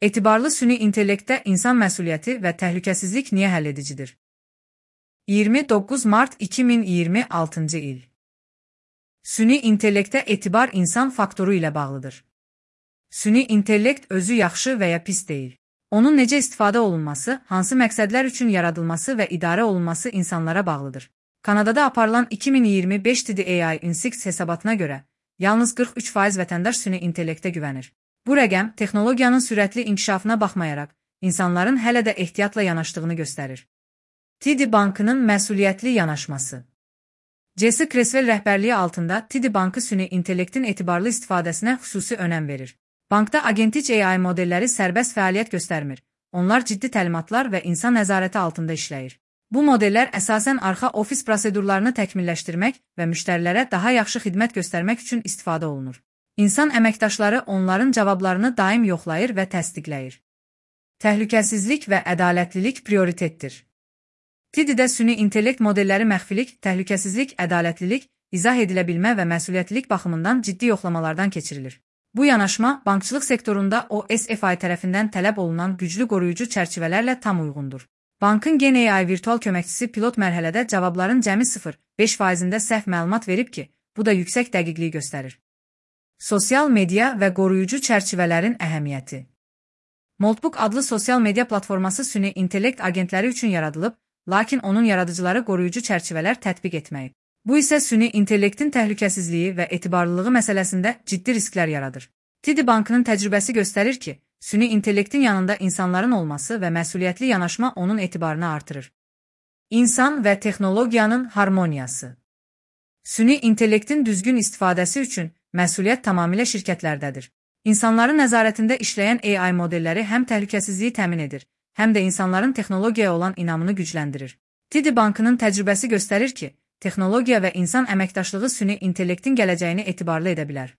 Etibarlı süni intellektdə insan məsuliyyəti və təhlükəsizlik niyə həlledicidir? 29 mart 2026-cı il. Süni intellektdə etibar insan faktoru ilə bağlıdır. Süni intellekt özü yaxşı və ya pis deyil. Onun necə istifadə olunması, hansı məqsədlər üçün yaradılması və idarə olunması insanlara bağlıdır. Kanadada aparılan 2025 TDAI Index hesabatına görə, yalnız 43% vətəndaş süni intellektə güvənir. Bu rəqəm, texnologiyanın sürətli inkişafına baxmayaraq, insanların hələ də ehtiyatla yanaşdığını göstərir. TD Bankının məsuliyyətli yanaşması. Jesse Creswell rəhbərliyi altında TD Bankı süni intellektin etibarlı istifadəsinə xüsusi önəm verir. Bankda agentik AI modelləri sərbəst fəaliyyət göstərmir. Onlar ciddi təlimatlar və insan nəzarəti altında işləyir. Bu modellər əsasən arxa ofis prosedurlarını təkmilləşdirmək və müştərilərə daha yaxşı xidmət göstərmək üçün istifadə olunur. İnsan əməkdaşları onların cavablarını daim yoxlayır və təsdiqləyir. Təhlükəsizlik və ədalətlilik prioritetdir. TD-də süni intellekt modelləri məxfilik, təhlükəsizlik, ədalətlilik, izah edilə bilmə və məsuliyyətlilik baxımından ciddi yoxlamalardan keçirilir. Bu yanaşma, bankçılıq sektorunda OSFI tərəfindən tələb olunan güclü qoruyucu çərçivələrlə tam uyğundur. Bankın Gen AI virtual köməkçisi pilot mərhələdə cavabların cəmi 0,5%-də səhv məlumat verib ki, bu da yüksək dəqiqliyi göstərir. Sosial media və qoruyucu çərçivələrin əhəmiyyəti. Moltbook adlı sosial media platforması süni intellekt agentləri üçün yaradılıb, lakin onun yaradıcıları qoruyucu çərçivələr tətbiq etməyib. Bu isə süni intellektin təhlükəsizliyi və etibarlılığı məsələsində ciddi risklər yaradır. TD Bankının təcrübəsi göstərir ki, süni intellektin yanında insanların olması və məsuliyyətli yanaşma onun etibarını artırır. İnsan və texnologiyanın harmoniyası. Süni intellektin düzgün istifadəsi üçün məsuliyyət tamamilə şirkətlərdədir. İnsanların nəzarətində işləyən AI modelləri həm təhlükəsizliyi təmin edir, həm də insanların texnologiyaya olan inamını gücləndirir. TD Bankının təcrübəsi göstərir ki, texnologiya və insan əməkdaşlığı süni intellektin gələcəyini etibarlı edə bilər.